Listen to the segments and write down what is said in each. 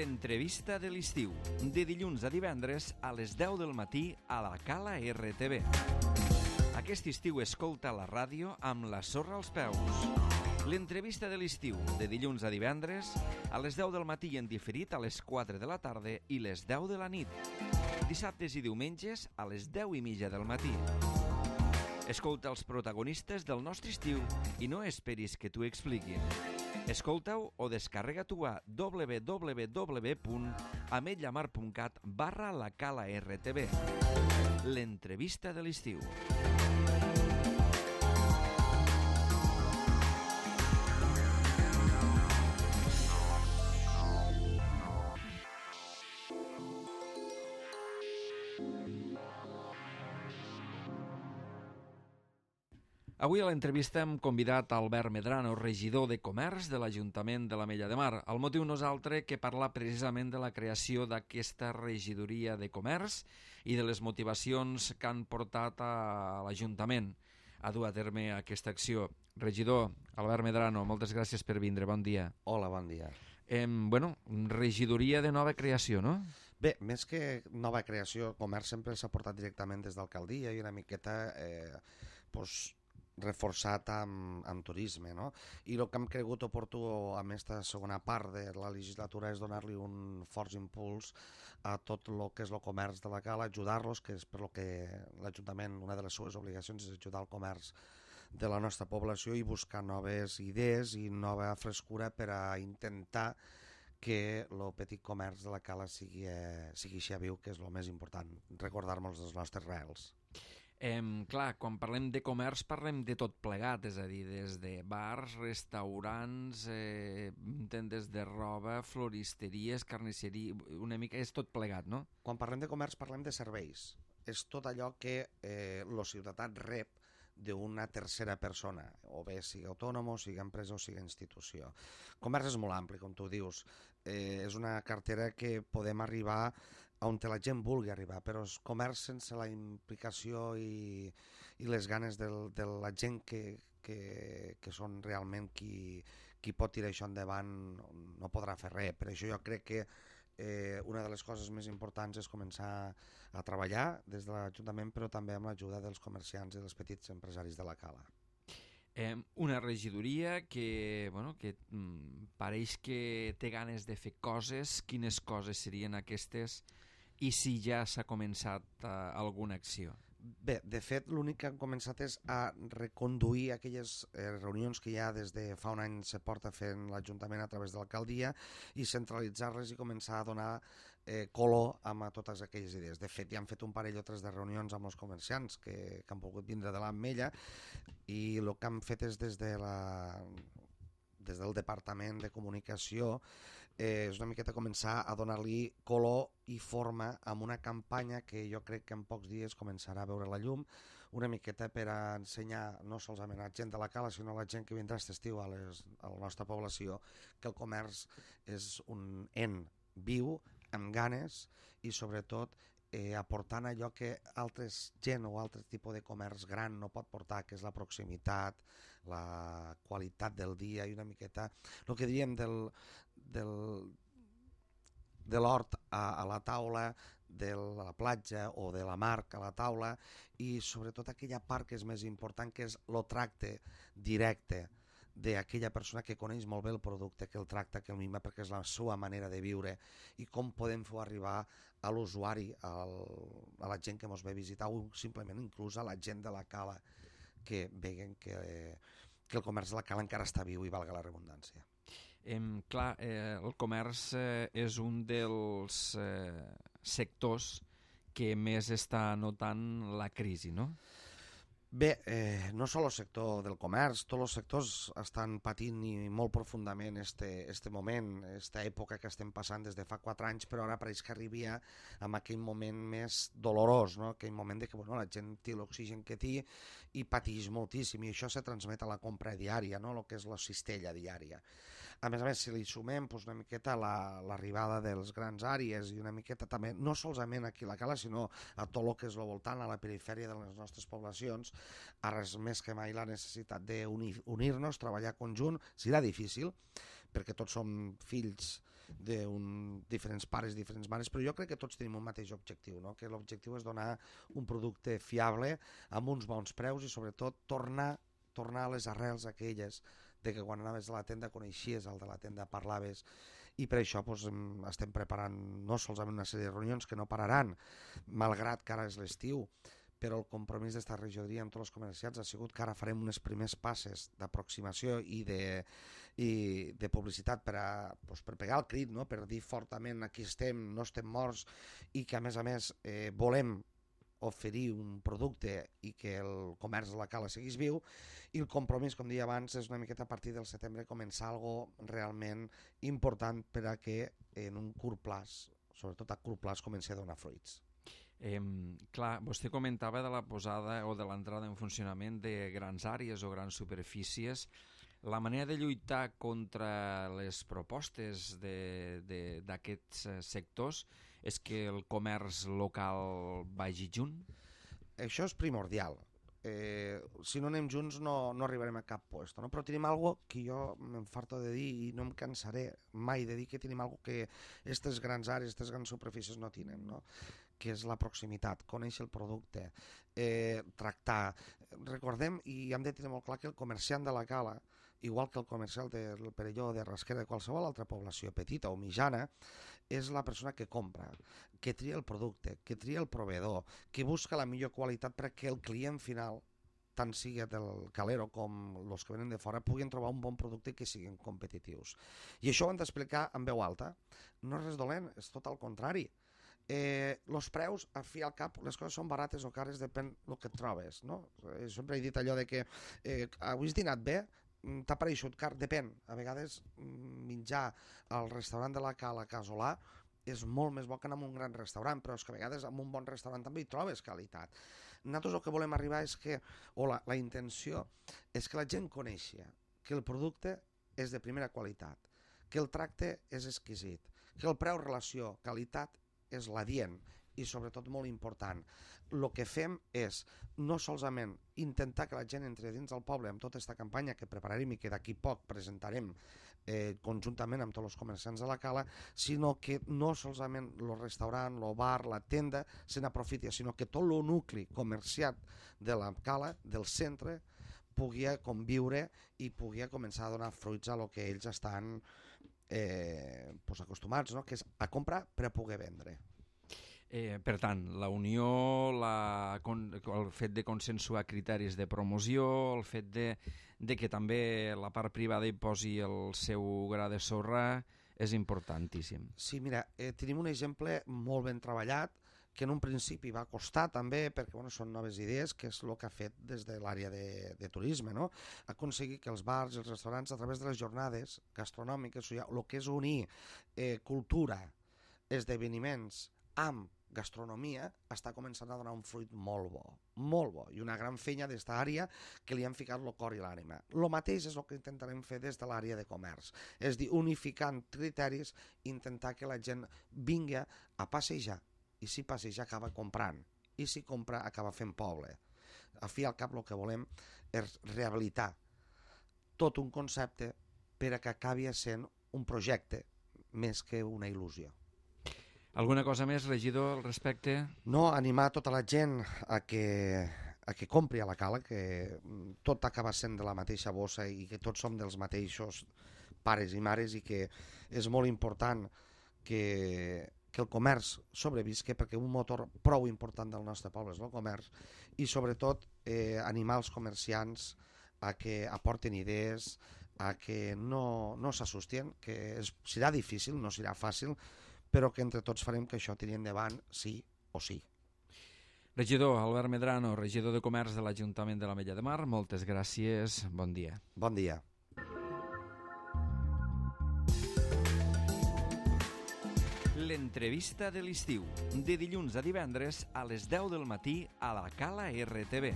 l'entrevista de l'estiu, de dilluns a divendres a les 10 del matí a la Cala RTV. Aquest estiu escolta la ràdio amb la sorra als peus. L'entrevista de l'estiu, de dilluns a divendres, a les 10 del matí en diferit a les 4 de la tarda i les 10 de la nit. Dissabtes i diumenges a les 10:30 del matí. Escolta els protagonistes del nostre estiu i no esperis que t'ho expliquin. Escolta-ho o descarrega-t'ho a www.ametlllamar.cat/la Cala RTV. L'entrevista de l'estiu. Avui a l'entrevista hem convidat Albert Medrano, regidor de Comerç de l'Ajuntament de l'Ametlla de Mar. El motiu no és altre que parlar precisament de la creació d'aquesta regidoria de Comerç i de les motivacions que han portat a l'Ajuntament a dur a terme aquesta acció. Regidor Albert Medrano, moltes gràcies per vindre, bon dia. Hola, bon dia. Regidoria de nova creació, no? Bé, més que nova creació, Comerç sempre s'ha portat directament des d'alcaldia i una miqueta reforçat amb turisme, no? I el que hem cregut oportú amb aquesta segona part de la legislatura és donar-li un fort impuls a tot el que és el comerç de la Cala, ajudar-los, que és per lo que l'Ajuntament, una de les seves obligacions és ajudar el comerç de la nostra població i buscar noves idees i nova frescura per a intentar que el petit comerç de la Cala sigui així viu, que és el més important, recordar-nos dels nostres reals. Clar, quan parlem de comerç parlem de tot plegat, és a dir, des de bars, restaurants, tendes de roba, floristeries, carnisseria, una mica és tot plegat, no? Quan parlem de comerç parlem de serveis. És tot allò que el ciutadà rep d'una tercera persona, o bé sigui autònom, o sigui empresa, o sigui institució. Comerç és molt ampli, com tu dius. És una cartera que podem arribar on la gent vulgui arribar, però és comerç sense la implicació i les ganes de la gent que són realment qui pot tirar això endavant no podrà fer res. Per això jo crec que una de les coses més importants és començar a treballar des de l'Ajuntament, però també amb l'ajuda dels comerciants i dels petits empresaris de la Cala. Una regidoria que pareix que té ganes de fer coses. Quines coses serien aquestes i si ja s'ha començat alguna acció? Bé, de fet, l'únic que han començat és a reconduir aquelles reunions que ja des de fa un any se porta fent l'Ajuntament a través de l'alcaldia i centralitzar-les i començar a donar color a totes aquelles idees. De fet, ja han fet un parell o tres de reunions amb els comerciants que han volgut vindre de l'Ametlla i el que han fet és des del Departament de Comunicació és una miqueta començar a donar-li color i forma amb una campanya que jo crec que en pocs dies començarà a veure la llum, una miqueta per a ensenyar no solament a la gent de la Cala sinó a la gent que vindrà aquest estiu a la nostra població que el comerç és un en viu, amb ganes i sobretot aportant allò que altres gent o altre tipus de comerç gran no pot portar, que és la proximitat, la qualitat del dia i una miqueta el que diríem de l'hort a la taula, de la platja o de la mar a la taula i sobretot aquella part que és més important, que és el tracte directe d'aquella persona que coneix molt bé el producte, que el tracta, que el mima, perquè és la seva manera de viure i com podem fer arribar a l'usuari, a la gent que ens ve visitar o simplement inclús a la gent de la Cala que veguen que el comerç de la Cala encara està viu i valga la redundància. Clar, el comerç és un dels sectors que més està notant la crisi, no? Bé, no sol el sector del comerç, tots els sectors estan patint i molt profundament este moment, aquesta època que estem passant des de fa 4 anys, però ara pareix que arribia en aquell moment més dolorós, no? Aquell moment de que la gent té l'oxigen que té i pateix moltíssim, i això se transmet a la compra diària, no? El que és la cistella diària. A més, si li sumem una miqueta l'arribada dels grans àrees i una miqueta també, no solament aquí a la Cala, sinó a tot el que és el voltant, a la perifèria de les nostres poblacions, a res més que mai la necessitat d'unir-nos, treballar conjunt. Serà difícil, perquè tots som fills diferents pares, diferents mares, però jo crec que tots tenim un mateix objectiu, no? Que l'objectiu és donar un producte fiable amb uns bons preus i sobretot tornar a les arrels aquelles de que quan anaves a la tenda coneixies el de la tenda, parlaves, i per això estem preparant no solament una sèrie de reunions que no pararan, malgrat que ara és l'estiu, però el compromís d'esta regidoria amb tots els comerciants ha sigut que ara farem unes primers passes d'aproximació i de publicitat per pegar el crit, no? Per dir fortament aquí estem, no estem morts, i que a més volem oferir un producte i que el comerç de la Cala seguís viu, i el compromís, com deia abans, és una miqueta a partir del setembre començar algo realment important per a que en un curt plaç, sobretot a curt plaç, comenci a donar fruits. Clar, vostè comentava de la posada o de l'entrada en funcionament de grans àrees o grans superfícies. La manera de lluitar contra les propostes d'aquests sectors és que el comerç local vagi junt? Això és primordial. Si no anem junts no arribarem a cap lloc, no? Però tenim algo que jo m'enfarto de dir i no em cansaré mai de dir que tenim algo que aquestes grans àrees, aquestes grans superfícies no tenen, no? Que és la proximitat, conèixer el producte, tractar. Recordem, i hem de tenir molt clar, que el comerciant de la Cala, igual que el comercial del Perelló, de Rasquera, de qualsevol altra població petita o mitjana, és la persona que compra, que tria el producte, que tria el proveedor, que busca la millor qualitat perquè el client final, tant sigui del calero com els que venen de fora, puguin trobar un bon producte i que siguin competitius. I això ho hem d'explicar en veu alta. No és res dolent, és tot al contrari. Els preus, al fi i al cap, les coses són barates o cares, depèn del que et trobes, no? Sempre he dit allò de que avui has dinat bé, t'ha pareixut car, depèn. A vegades menjar al restaurant de la Cala casolà és molt més bo que anar a un gran restaurant, però és que a vegades en un bon restaurant també hi trobes qualitat. Nosaltres el que volem arribar és que, o la intenció, és que la gent coneixi que el producte és de primera qualitat, que el tracte és exquisit, que el preu-relació qualitat és l'adient i sobretot molt important. El que fem és no solament intentar que la gent entri dins del poble amb tota aquesta campanya que prepararem i que d'aquí poc presentarem conjuntament amb tots els comerciants de la Cala, sinó que no solament el restaurant, el bar, la tenda se n'aprofiti, sinó que tot el nucli comerciat de la Cala, del centre, pugui conviure i pugui començar a donar fruits a lo que ells estan acostumats, no? Que és a comprar per a poder vendre. Per tant, la unió, el fet de consensuar criteris de promoció, el fet de que també la part privada hi posi el seu gra de sorra és importantíssim. Sí, mira, tenim un exemple molt ben treballat que en un principi va costar també, perquè són noves idees, que és el que ha fet des de l'àrea de turisme, no? Aconseguir que els bars i els restaurants, a través de les jornades gastronòmiques, el que és unir cultura, esdeveniments amb gastronomia, està començant a donar un fruit molt bo, i una gran feina d'esta àrea que li han ficat el cor i l'ànima. El mateix és el que intentarem fer des de l'àrea de comerç, és dir, unificant criteris, intentar que la gent vingui a passejar, i si passeja acaba comprant, i si compra acaba fent poble. Al fi i al cap el que volem és rehabilitar tot un concepte per a que acabi sent un projecte més que una il·lusió. Alguna cosa més, regidor, al respecte? No, animar tota la gent a que compri a la Cala, que tot acaba sent de la mateixa bossa i que tots som dels mateixos pares i mares i que és molt important que el comerç sobrevisqui, perquè un motor prou important del nostre poble és el comerç, i sobretot animar els comerciants a que aporten idees, a que no s'assusten, que serà difícil, no serà fàcil, però que entre tots farem que això tiri endavant sí o sí. Regidor Albert Medrano, regidor de Comerç de l'Ajuntament de l'Ametlla de Mar, moltes gràcies, bon dia. Bon dia. L'entrevista de l'estiu, de dilluns a divendres a les 10 del matí a la Cala RTV.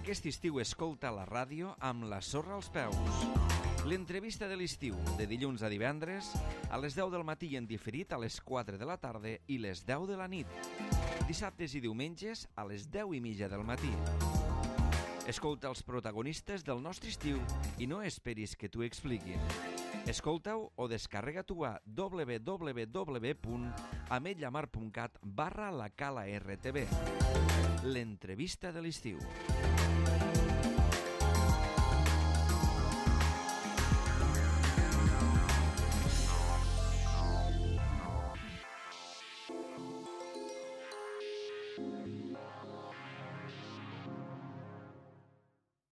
Aquest estiu escolta la ràdio amb la sorra als peus. L'entrevista de l'estiu, de dilluns a divendres, a les 10 del matí en diferit a les 4 de la tarda i les 10 de la nit. Dissabtes i diumenges a les 10:30 del matí. Escolta els protagonistes del nostre estiu i no esperis que t'ho expliquin. Escolta-ho o descarrega-t'ho a www.ametlllamar.cat/la Cala RTV. L'entrevista de l'estiu.